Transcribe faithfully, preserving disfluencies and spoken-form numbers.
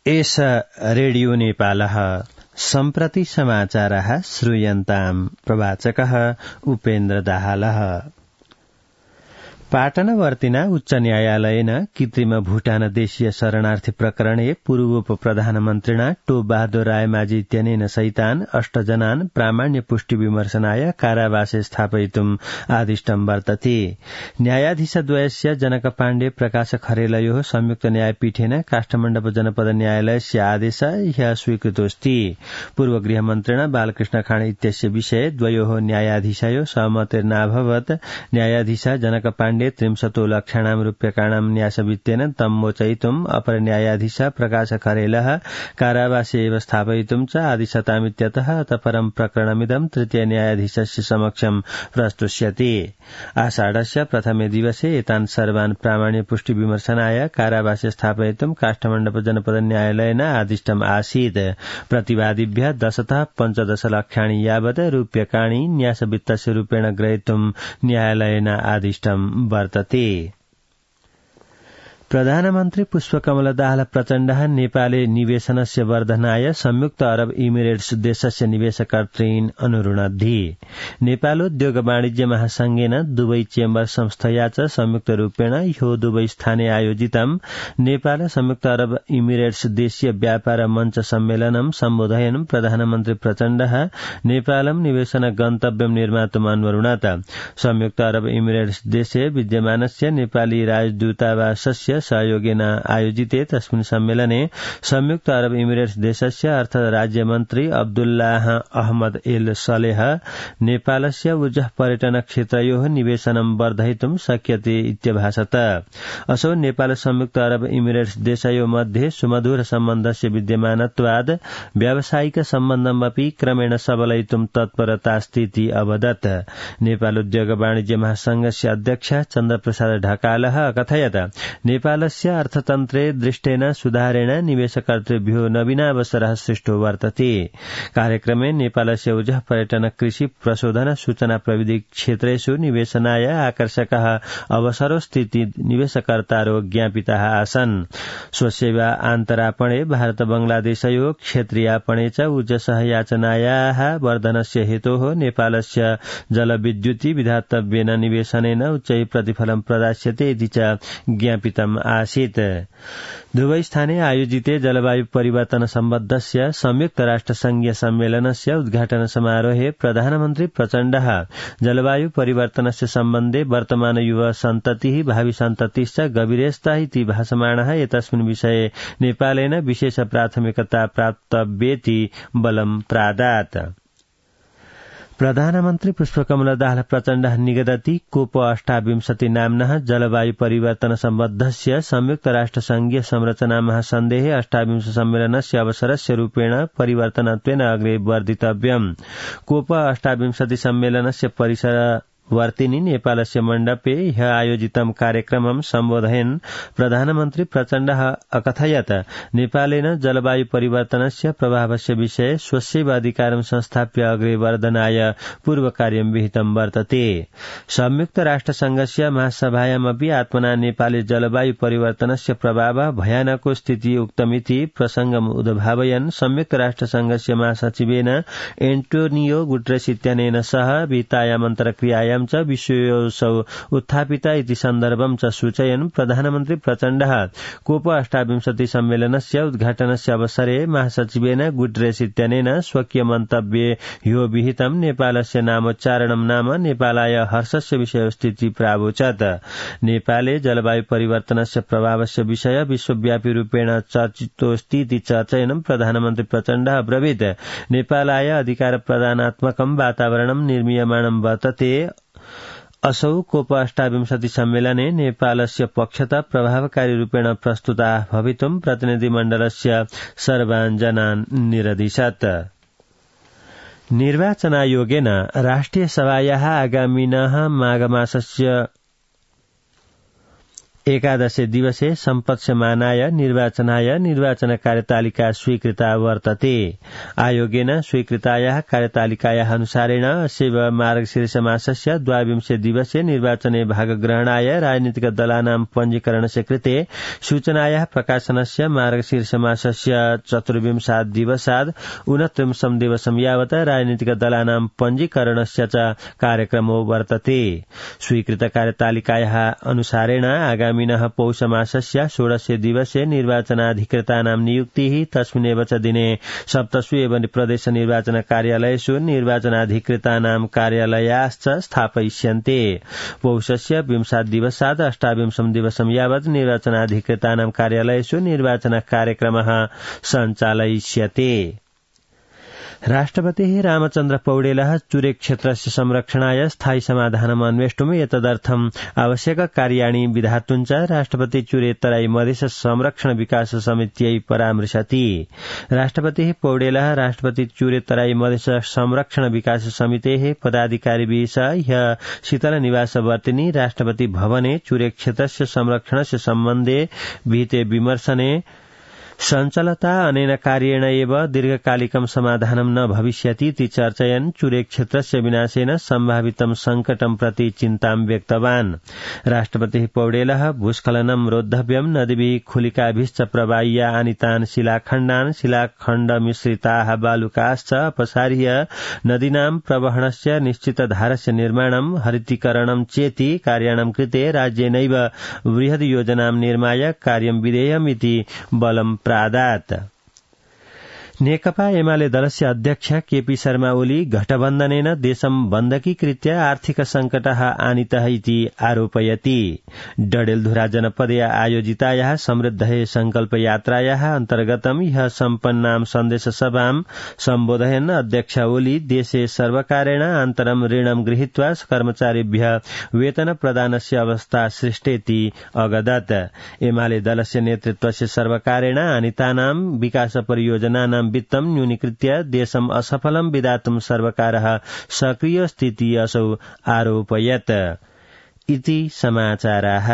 एष रेडियो नेपालः सम्प्रति समाचारः श्रूयन्ताम् प्रवाचकः उपेन्द्र दाहालः। पाटनवर्तिना उच्च न्यायालयेन कृत्रिम भूटान देशीय शरणार्थी प्रकरणे पूर्वोप प्रधानमन्त्रिणा टो बहादुर रायमाझी इत्यनेन सहितान् अष्ट जनान् प्रामाण्य पुष्टि विमर्शनाय कारावासे स्थापयितुम् आदिष्टम् वर्तते। न्यायाधीशद्वयस्य जनक पाण्डे प्रकाश खरेलयोः संयुक्त न्यायपीठेन काष्ठमण्डप जनपद न्यायालयस्य आदेश ह्यः स्वीकृतोऽस्ति। पूर्व गृहमन्त्रिणा बालकृष्ण खाँड इत्यस्य विषये द्वयोः न्यायाधीशयोः सहमतिर्नाभवत्। न्यायाधीश जनक पाण्डे त्रिंशतो लक्षाणां रूप्यकाणां न्यासवित्तेन तं मोचयितुम् अपर न्यायाधीश प्रकाश खरेलः कारावासे एव स्थापयितुम् च आदिशतामित्यतः अतः परं प्रकरणमिदं तृतीय न्यायाधीशस्य समक्षं प्रस्तुष्यते। आषाढस्य प्रथमे दिवसे एतान् सर्वान् प्रामाण्य पुष्टि विमर्शनाय कारावासे स्थापयितुम् काष्ठमण्डप जनपद न्यायालयेन आदिष्टम् आसीत्। प्रतिवादिभ्यः दशतः पञ्चदश लक्षाणि यावत् रूप्यकाणि न्यासवित्तस्य रूपेण ग्रहीतुम् न्यायालयेन आदिष्टम् वर्तते। प्रधानमन्त्री पुष्पकमल दाहाल प्रचण्डः नेपाले निवेशनस्य वर्धनाय संयुक्त अरब इमिरेट्स देशस्य निवेशकर्तॄन् अनुरुणद्धि। नेपालोद्योग वाणिज्य महासंघेन दुवै चेम्बर संस्थया च संयुक्त रूपेण ह्यो दुवै स्थाने आयोजितं नेपाल संयुक्त अरब इमिरेट्स देशीय व्यापार मञ्च सम्मेलनं सम्बोधयन् प्रधानमन्त्री प्रचण्डः नेपालं निवेशन गन्तव्यं निर्मातुम् अन्वरुणत। संयुक्त अरब इमिरेट्स देशे विद्यमानस्य नेपाली राजदूतावासस्य सहयोगेन आयोजिते तस्मिन् सम्मेलने संयुक्त अरब इमिरेट्स देशस्य अर्थ राज्यमन्त्री अब्दुल्लाह अहमद एल सलेह नेपालस्य ऊर्जा पर्यटन क्षेत्रयोः निवेशनं वर्धयितुं शक्यते इत्यभाषत। असौ नेपाल संयुक्त अरब इमिरेट्स देशयोः मध्ये सुमधुर सम्बन्धस्य विद्यमानत्वाद् व्यावसायिक सम्बन्धमपि क्रमेण सबलयितुं तत्परतास्तीति अवदत्। नेपाल उद्योग वाणिज्य महासंघस्य अध्यक्ष चन्द्रप्रसाद ढकालः अकथयत् नेपालस्य अर्थतन्त्रे दृष्टेन सुधारेण निवेशकर्तृभ्यो नवीनावसरः सृष्टो वर्तते। कार्यक्रमे नेपालस्य ऊर्जा पर्यटन कृषि प्रशोधन सूचना प्रविधि क्षेत्रेषु निवेशनाय आकर्षकः अवसरोस्तीति निवेशकर्तारो ज्ञापिताः आसन्। स्वसेवा आन्तरापणे भारत बंगलादेशयोः क्षेत्रीयापणे च ऊर्जसह याचनायाः वर्धनस्य हेतोः नेपालस्य जलविद्युति विधातव्येन निवेशनेन उच्चैः प्रतिफलं प्रदास्यते इति च ज्ञापितम् आसीत्। दुवै स्थाने आयोजिते जलवायु परिवर्तन सम्बद्धस्य संयुक्त राष्ट्र संघीय सम्मेलनस्य उद्घाटन समारोहे प्रधानमन्त्री प्रचण्डः जलवायु परिवर्तनस्य सम्बन्धे वर्तमान युवा सन्ततिः भावि सन्ततिश्च गभीरस्ता इति भासमाणः एतस्मिन् विषये नेपालेन विशेष प्राथमिकता प्राप्तव्येति बलं प्रादात्। प्रधानमन्त्री पुष्पकमल दाहाल प्रचण्डः निगदति कोप अष्टाविंशति नाम्नः जलवायु परिवर्तन सम्बद्धस्य संयुक्त राष्ट्र संघीय संरचना महासन्धेः अष्टाविंश सम्मेलनस्य अवसरस्य रूपेण परिवर्तनत्वेन अग्रे वर्धितव्यम्। कोप अष्टाविंशति सम्मेलनस्य परिसर वर्तिनि नेपालस्य मण्डपे ह्यः आयोजितं कार्यक्रमं सम्बोधयन् प्रधानमन्त्री प्रचण्डः अकथयत् नेपालेन जलवायु परिवर्तनस्य प्रभावस्य विषये स्वस्यैव अधिकारं संस्थाप्य अग्रे वर्धनाय पूर्वकार्यं विहितं वर्तते। संयुक्त राष्ट्रसङ्घस्य महासभायामपि आत्मना नेपाले जलवायु परिवर्तनस्य प्रभावः भयानको स्थितिः उक्तमिति प्रसङ्गम् उद्भावयन् संयुक्त राष्ट्रसङ्घस्य महासचिवेन एन्टोनियो गुटेरेस इत्यनेन सह वित्तायाम् अन्तर्क्रियायां च विषयोऽसौ उत्थापिता इति सन्दर्भं च सूचयन् प्रधानमन्त्री प्रचण्डः कोप अष्टाविंशति सम्मेलनस्य उद्घाटनस्य अवसरे महासचिवेन गुटेरेस इत्यनेन स्वकीय मन्तव्ये ह्यो विहितं नेपालस्य नामोच्चारणं नाम नेपालाय हर्षस्य विषयोस्तीति प्रावोचत्। नेपाले जलवायु परिवर्तनस्य प्रभावस्य विषय विश्वव्यापी रूपेण चर्चितोऽस्तीति चर्चयन् प्रधानमन्त्री प्रचण्डः अब्रवीत् नेपालाय अधिकार प्रदानात्मकं वातावरणं निर्मीयमाणं वर्तते। असौ कोप अष्टाविंशति सम्मेलने नेपालस्य पक्षतः प्रभावकारी रूपेण प्रस्तुता भवितुं प्रतिनिधिमण्डलस्य सर्वान् जनान् निरदिशत्। निर्वाचनायोगेन राष्ट्रिय सभायाः आगामिनः माघमासस्य एकादशे दिवसे सम्पत्स्यमानाय निर्वाचनाय निर्वाचन कार्यतालिका स्वीकृता वर्तते। आयोगेन स्वीकृतायाः कार्यतालिकायाः अनुसारेण अस्य मार्गशीर्षमासस्य द्वाविंशे दिवसे निर्वाचने भागग्रहणाय राजनीतिक दलानां पञ्जीकरणस्य कृते सूचनायाः प्रकाशनस्य मार्गशीर्षमासस्य चतुर्विंशात् दिवसात् ऊनत्रिंशं दिवसं यावत् राजनीतिक दलानां पञ्जीकरणस्य च कार्यक्रमो वर्तते। स्वीकृत कार्यतालिकायाः अनुसारेण आगामिनः पौषमासस्य षोडशे दिवसे निर्वाचनाधिकृतानां नियुक्तिः तस्मिन्नेव च दिने सप्तसु एवं प्रदेश निर्वाचन कार्यालयेषु निर्वाचनाधिकृतानां कार्यालयाश्च स्थापयिष्यन्ते। पौषस्य विंशात् दिवसात् अष्टाविंशं दिवसं यावत् निर्वाचनाधिकृतानां कार्यालयेषु निर्वाचन कार्यक्रमः सञ्चालयिष्यते। राष्ट्रपतिः रामचन्द्र पौडेलः चुरे क्षेत्रस्य संरक्षणाय स्थायी समाधानम् अन्वेष्टुम् एतदर्थम् आवश्यक कार्याणि विधातुं च राष्ट्रपति चुरे तराई मधेस संरक्षण विकास समित्यै परामृशति। राष्ट्रपतिः पौडेलः राष्ट्रपति चुरे तराई मधेस संरक्षण विकास समितेः पदाधिकारिभिः सह ह्यः शीतल निवासवर्तिनि राष्ट्रपति भवने चुरे क्षेत्रस्य संरक्षणस्य सम्बन्धे विहिते विमर्शने संचलता अनेन कार्येण एव दीर्घकालिकं समाधानं न भविष्यति इति चर्चयन् चुरे क्षेत्रस्य विनाशेन सम्भावितं संकटं प्रति चिन्तां व्यक्तवान्। राष्ट्रपतिः पौडेलः भूस्खलनं रोद्धव्यं नदीभिः खुलिकाभिश्च प्रवाह्य आनीतान् शिलाखण्डान् शिलाखण्डमिश्रिताः बालुकाश्च अपसार्य नदीनां प्रवहणस्य निश्चितधारस्य निर्माणं हरितीकरणं चेति कार्याणां कृते राज्येनैव बृहद् योजनां निर्माय कार्यं विधेयम् इति बलं प्रादात्। नेकपा एमाले दलस्य अध्यक्ष केपी शर्मा ओली गठबन्धनेन देशं बन्दकीकृत्य आर्थिक संकटः आनीतः इति आरोपयति। डडेलधुरा जनपदे आयोजितायाः समृद्धये संकल्प यात्रायाः अन्तर्गतं ह्यः सम्पन्नां सन्देश सभां सम्बोधयन् अध्यक्ष ओली देशे सर्वकारेण अन्तरं ऋणं गृहीत्वा कर्मचारिभ्यः वेतन प्रदानस्य अवस्था सृष्टेति अगदत्। एमाले दलस्य नेतृत्वस्य सर्वकारेण आनीतानां विकास परियोजनानां वित्तं न्यूनीकृत्य देशम् असफलं विधातुं सर्वकारः सक्रिय स्थितिः असौ आरोपयत्। इति समाचाराः।